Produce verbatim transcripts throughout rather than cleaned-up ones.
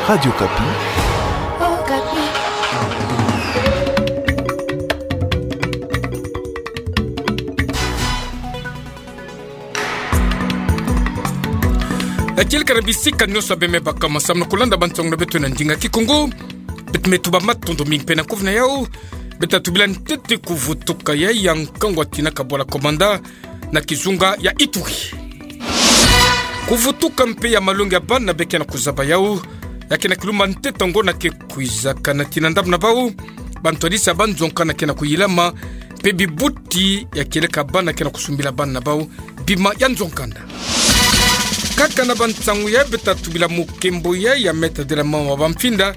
Radio Okapi. Okapi. Kieleka na bisika nyonso abe mebaka ma samu na kulanda bansangu na beto na ndinga Kikongo. Beto me tuba matondo mingi pene kuvuna yau. Beto tubila ntete kuvutuka ya, ya nkangu atinaka bwala Komanda na kizunga ya Ituri. Kuvutuka mpe ya malongi ya bana be kena kuzaba yau, ya kena kilumba ntete ngo na ke kwizaka na tina ndambu na bau, bantwadisi ya banzonka na kena kuyilama, mpe bibuti ya kieleka bana kena kusumbila bana na bau bima ya nzonkanda. Kaka na bansangu ya beto tubila mukembo ya, ya me tadila mama bamfinda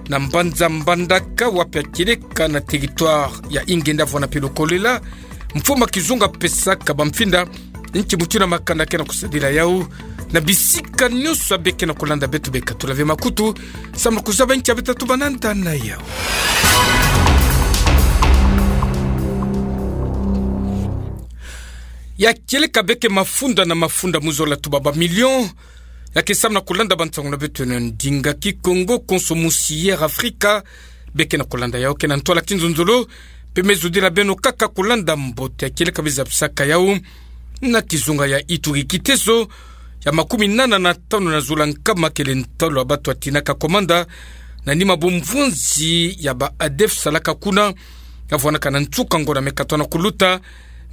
na mbanza Mbandaka, wapi ya kieleka na territoire ya Ingenda vwana mpe Lukolela, mfumu a kizunga apesaka bamfinda nki mutindu na makanda kena kusadila yau, na bisika nyonso abe kena kulanda beto be katula ve makutu, samu na kuzaba nki abe tatuba na nda na yau. Ya kieleka be ke mafunda na mafunda mu zola tuba ba million, ya ke samu na kulanda bansangu na beto na ndinga Kikongo, konso musi Air Africa, be kena kulanda yau kena ntwala kinzonzolo, mpe me zodila beno kaka kulanda mbote ya kieleka be zabisaka yau na kizunga ya Ituri. Kitezo ya makumi nana na tanu na zola nkama kele ntalo ya batu atinaka Komanda na nima bumvunzi ya ba A D F salaka kuna, ya vwanaka na nsuka ngo na me katwa na kuluta,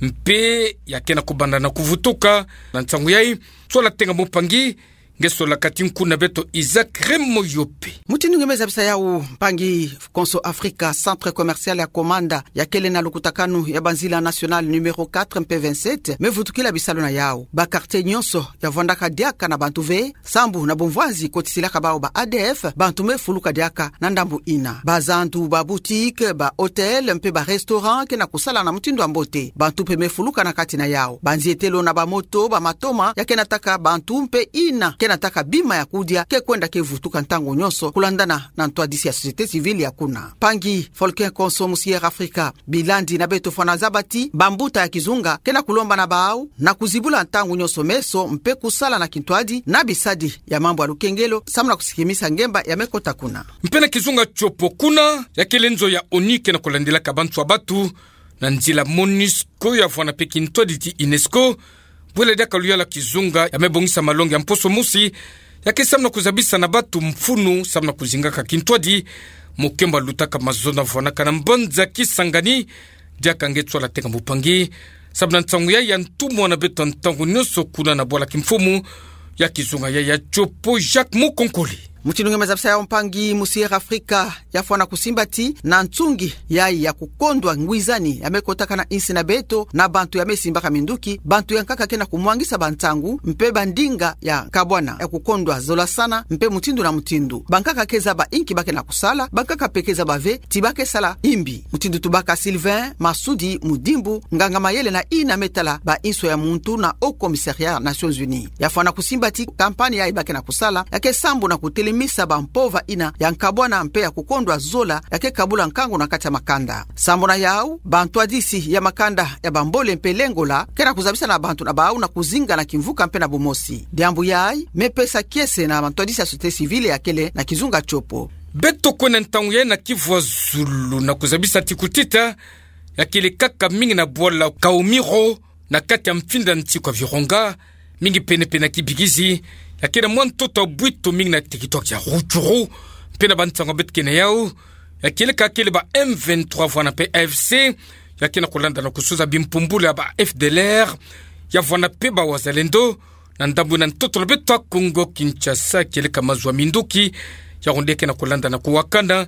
mpe ya kena kubanda na kuvutuka. Na nsangu yai, sola tenga mumpangi, nge sola kati nkuna beto Isaac Remoyope. Mutindu nge me zabisa yau, mpangi, konso Afrika, centre commercial ya Komanda, ya kele na lukutakanu ya banzila nationale numéro quatre mpe vingt-sept, me vutukila bisalu na yau. Ba quartier nyonso ya vwandaka diaka na bantu ve, sambu na bumvwanzi kotisilaka bau ba A D F, bantu me fuluka diaka na ndambu ina. Bazandu, ba boutique, ba hôtel, mpe ba restaurant kena kusala na mutindu wa mbote. Bantu mpe me fuluka na kati na yau. Banzietelo na ba moto, ba matoma, ya kena taka bantu mpe ina kena taka bima ya kudia, ke kwenda ke vutuka ntangu nyonso, kulandana na ntwadisi ya société civile ya kuna. Mpangi Volker, konso musi Air Africa, bilandi na beto fwana zaba ti bambuta ya kizunga kena kulomba na bau na kuzibula ntangu nyonso meso mpe kusala na kintwadi na bisadi ya mambu ya lukengelo, samu na kusikimisa ngemba ya me kota kuna. Mpe na kizunga Tshopo kuna, ya kele nzo ya ONU kena kulandilaka bantu ya batu na nzila MONUSCO ya vwana mpe kintwadi ti UNESCO, bwela diaka luyala kizunga ya me bongisa malongi ya mposo mosi, ya ke samu na kuzabisa na batu mfunu samu na kuzingaka kintwadi. Mukembo alutaka mazono vwanaka na mbanza Kisangani, diaka nge sola tenga mumpangi, samu na nsangu yai ya ntumwa na beto ntangu nyonso kuna na bwala kimfumu ya kizunga yai ya Tshopo, Jacques Mukonkole. Mutindu nge me zabisa yau, mpangi, musi Air Africa ya fwana kusimba ti na nsungi yai ya kukondwa ngwizani ya me kotaka na insi na beto na bantu ya me simbaka minduki, bantu ya nkaka kena kumwangisa bansangu mpe bandinga ya nkabwana ya kukondwa zolasana mpe mutindu na mutindu. Bankaka ke zaba inki ba kena kusala, bankaka mpe ke zaba ve ti ba ke sala imbi. Mutindu tubaka Sylvain Masudi Mudimbu, nganga mayele na ina me tala ba inso ya muntu na Haut Commissariat Nations Unies, ya fwana kusimba ti campagne yai ba kena kusala ya ke sambu na kutelemisa bampova ina ya nkabwana mpe ya kukondwa zola ya ke kabula nkangu na kati ya makanda. Sambu na yau, bantwadisi ya makanda ya bambole mpe lengola kena kuzabisa na bantu na bau na kuzinga na kimvuka mpe na bumosi. Diambu yai me pesa kiese na bantwadisi ya société civile ya kele na kizunga Tshopo. Beto kwenda ntangu yai na Kivu ya Zulu na kuzabisa ti kutita ya kele kaka mingi na bwala Kaumiro, na kati ya mfinda nsi kwa Virunga, mingi pene-pene na Kibirizi, ya kele mwa ntoto ya bwito mingi na territoire ya Rutshuru, mpe na bansangu beto ke na yau, ya kieleka kele ba M vingt-trois vwana mpe A F C, ya kena kulanda na kusuza bimpumbulu ya ba F D L R, ya vwana mpe ba Wazalendo, na ndambu na ntoto na beto ya Kongo Kinshasa, kieleka mazu ya minduki, ya onde kena kulanda na kuwakana,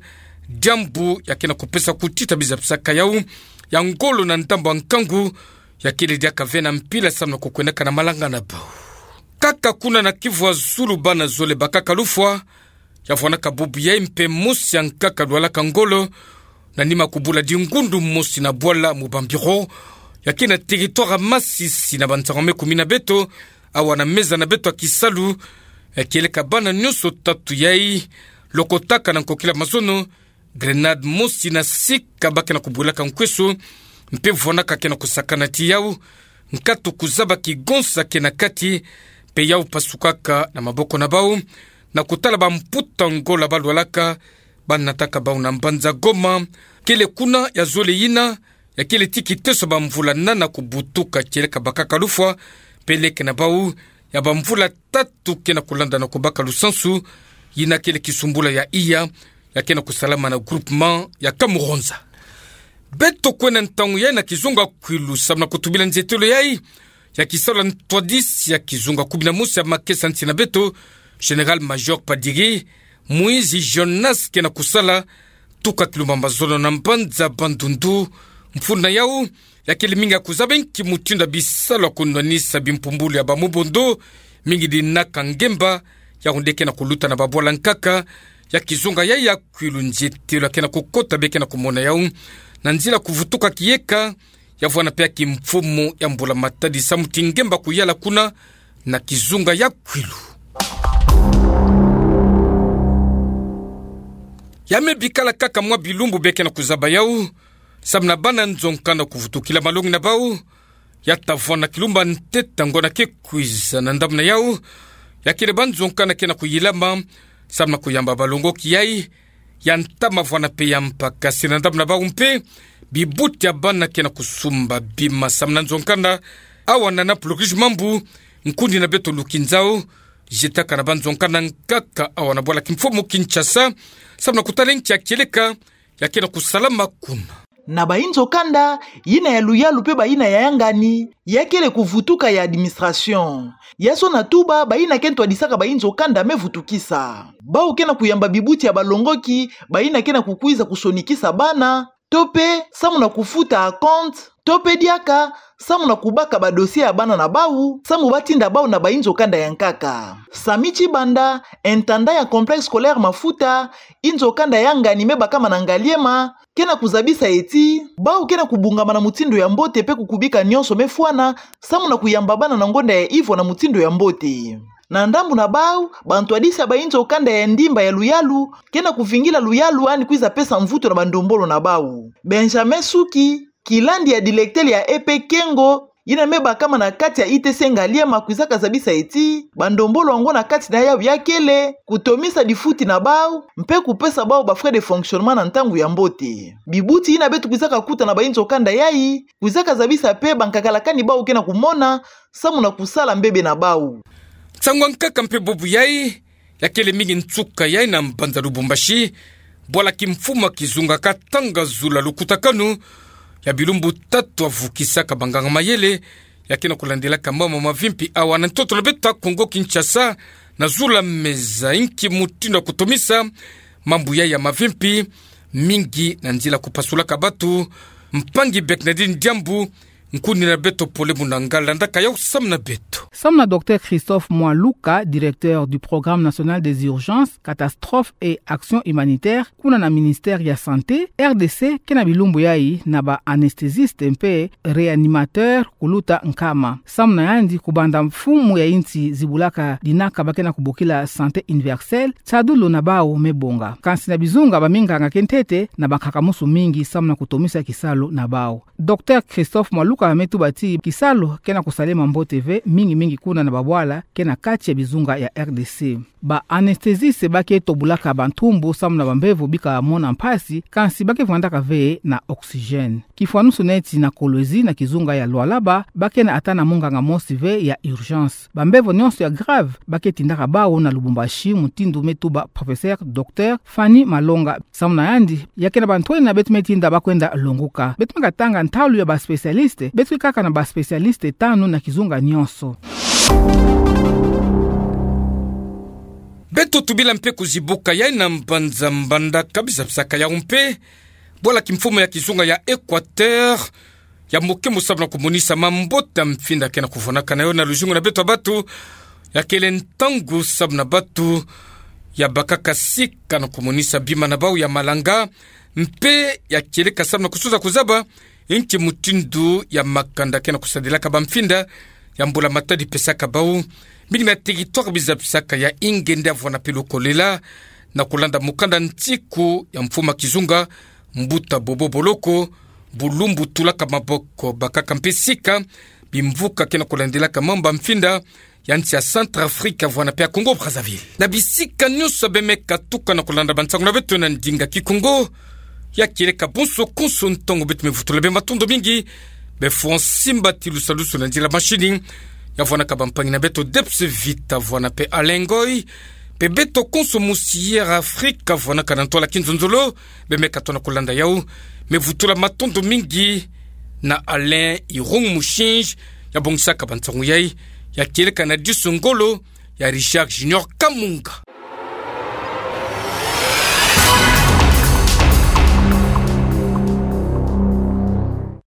diambu ya kena kupesa kutita bizabisaka yau ya ngolo na ndambu ya nkangu, ya kele diaka ve na mpila samu na kukwendaka na malanga na bau. Kaka kuna na Kivu ya Zulu, bana zole bakaka lufwa, ya vwanaka bubu yai mpe mosi ya nkaka lwalaka ngolo, na nima kubula dingundu mosi na bwala mu ba bureau ya ke na territoire ya Masisi, na bansangu me kumina beto, awa na meza na beto ya kisalu, ya kieleka bana nyonso tatu yai lokotaka na nkokila mazono, grenade mosi na sika ba kena kubulaka nkweso, mpe vwanaka kena kusakana ti yau, nkatu kuzaba kigonsa ke na kati, mpe yau pasukaka na maboko na bau, na kutala bamputa Ngola balwalaka, banataka bau na mbanza Goma, kele kuna ya zole yina, ya kele ti kiteso bamvula nana kubutuka kieleka bakaka lufwa, peleke na bau, ya bamvula tatu ke na kulanda na kubaka lusansu, yina kele kisumbula ya iya, ya ke na kusalama na groupement ya Kamuronza. Beto kwenda ntangu yayi na kizunga Kwilu samu na kutubila nzietelo yayi ya kisalu ya ntwadisi ya kizunga kumi na mosi ya makesa nsi na beto, Général-Major Padiri Moïse Jonas ke na kusala, tuka kilumbu ya mazono na mbanza Bandundu, mfunu na yau, ya kele mingi ya kuzaba nki mutindu ya bisalu ya kunwanisa bimpumbulu ya bamubondo, mingi dinaka ngemba, yau nde ke na kuluta na babwala nkaka ya kizunga yayi ya Kwilu. Nzietelo ya ke na kukota be ke na kumona yau na nzila kuvutuka kiyeka, ya vwanda mpe ya kimfumu ya mbula-matadi samu ti ngemba kuyala kuna na kizunga ya Kwilu. Ya me bikala kaka mwa bilumbu be ke na kuzaba yau, samu na bana nzo-nkanda kuvutukila malongi na bau, ya ta vwanda na kilumbu ya ntete ya ngonda ke kwiza. Na ndambu na yau, ya kele banzo-nkanda ke na kuyilama samu na kuyamba balongoki yayi, ya ntama vwanda mpe ya mpa, kasi na ndambu na bau mpe, bibuti ya bana ke na kusumba bima samu na nzo-nkanda. Awa na Annapolis Mambu, nkundi na beto Luki Nzau, zietaka na banzo-nkanda nkaka awa na bwala kimfumu Kinshasa, samu na kutala nki ya kieleka ya ke na kusalama kuna. Na bayinzo-kanda, yina ya luyalu mpe bayina ya yangani, ya kele kuvutuka ya administration. Ya sona tuba, bayina ke ntwadisaka bayinzo-kanda me vutukisa. Bau ke na kuyamba bibuti ya balongoki, bayina ke na kukwiza kusonikisa bana, to mpe samu na kufuta acompte, to mpe diaka samu na kubaka badossier ya bana na bau, samu batinda bau na bayinzo-kanda ya nkaka. Samy Tshibanda, intendant ya complexe scolaire Mafuta, yinzo-kanda ya yangani me bakama na Ngaliema, ke na kuzabisa ti bau ke na kubungama na mutindu ya mbote mpe kukubika nyonso me fwana, samu na kuyamba bana na ngonda ya ivwa na mutindu ya mbote. Na ndambu na bau, bantwadisi ya bayinzo-kanda ya ndimba ya luyalu ke na kuvingila luyalu yandi kwiza pesa mvutu na bandombolo na bau. Benjamin Suki, kilandi ya directeur ya E P Kengo, yina me bakama na kati ya I T C Ngaliema, kwizaka zabisa ti bandombolo yango na kati na yau ya kele kutomisa difuti na bau, mpe kupesa bau ba frais de fonctionnement na ntangu ya mbote. Bibuti yina beto kwizaka kuta na bayinzo-kanda yayi, kwizaka zabisa mpe bankakalakani bau ke na kumona, samu na kusala mbebe na bau. Nsangu ya nkaka mpe bubu yayi, ya kele mingi nsuka yayi na mbanza Lubumbashi, bwala kimfumu ya kizunga Katanga zula lukutakanu ya bilumbu tatu ya vukisaka banganga-mayele, ya ke na kulandilaka mambu mavimpi awa na ntoto na beto Kongo Kinshasa, na zula meza nki mutindu ya kutomisa mambu yayi ya mavimpi, mingi na nzila kupasulaka batu. Mpangi Bernardine Diambu, nkundi na beto Pole Munanga, landaka yau samu na beto. Samu na Docteur Christophe Mwaluka, directeur du Programme National des Urgences, Catastrophes et Actions Humanitaires, kuna na Ministère ya Santé, R D C ke na bilumbu yayi na ba anesthésistes mpe réanimateurs kuluta nkama. Samu na yandi, kubanda mfumu ya insi zibulaka dinaka ba ke na kubokila santé universelle, tiadulu na bau me bonga. Kansi na bizunga, baminganga ke ntete na bankaka-musu mingi samu na kutomisa kisalu na bau. Docteur Christophe Mwaluka me tuba ti kisalu ke na kusalema mbote ve, mingi-mingi kuna na babwala ke na kati ya bizunga ya R D C. Ba anesthésistes ba ke tobulaka bantumbu samu na bambevo bika mona mpasi, kansi ba ke vwandaka ve na oxygène. Kifwanusu neti na Kolwezi na kizunga ya Lualaba, ba ke na ata na munganga mosi ve ya urgence. Bambevo nyonso ya grave ba ke tindaka bau na Lubumbashi, mutindu me tuba Professeur Docteur Fanny Malonga. Samu na yandi, ya ke na bantwenia beto me tinda ba kwenda longuka. Beto me katanga ntalu ya ba spécialistes, beto ke kaka na ba spécialistes tanu na kizunga nyonso. Beto tubila mpe kuzibuka yayi na mbanza Mbandaka, bizapisaka yau mpe bwala kimfumu ya kizunga ya Équateur ya mokembo samu na kumonisa mambote ya mfinda ke na kuvunaka na yo na luzingu na beto ya batu. Ya kele ntangu samu na batu ya bakaka sika na kumonisa bima na bau ya malanga, mpe ya kieleka samu na kusuza kuzaba nki mutindu ya makanda ke na kusadilaka bamfinda ya mbula-matadi pesaka bau, mingi na territoire bizapisaka ya Ingende, Avwana mpe Lukolela, na kulanda mukanda ntiku ya mfumu ya kizunga Mbuta Bobo Boloko, bulumbu tulaka maboko, bakaka mpe sika bimvuka ke na kulandilaka mambu ya mfinda ya nsi ya Centrafrique, vwanape ya Congo Brazzaville. Na bisika nyonso ya bemeka tuka na kolanda bansango na beto na ndinga Kikongo, ya kieleka bonso konso ntangu beto mevutula bie matondo mingi, befo nsimbatilu salusu na nzila mashini, ya vwanaka bampangi na beto Debs Vita, vwanape Alain Ngoy, mpe beto konso mosi Air Afrique, vwanaka na ntwala kinzonzolo, bemeka tona kolanda yau, mevutula matondo mingi na Alain Irung Mushinji, ya bongisaka bansango yai, ya kieleka na disu ngolo ya Richard Junior Kamunga.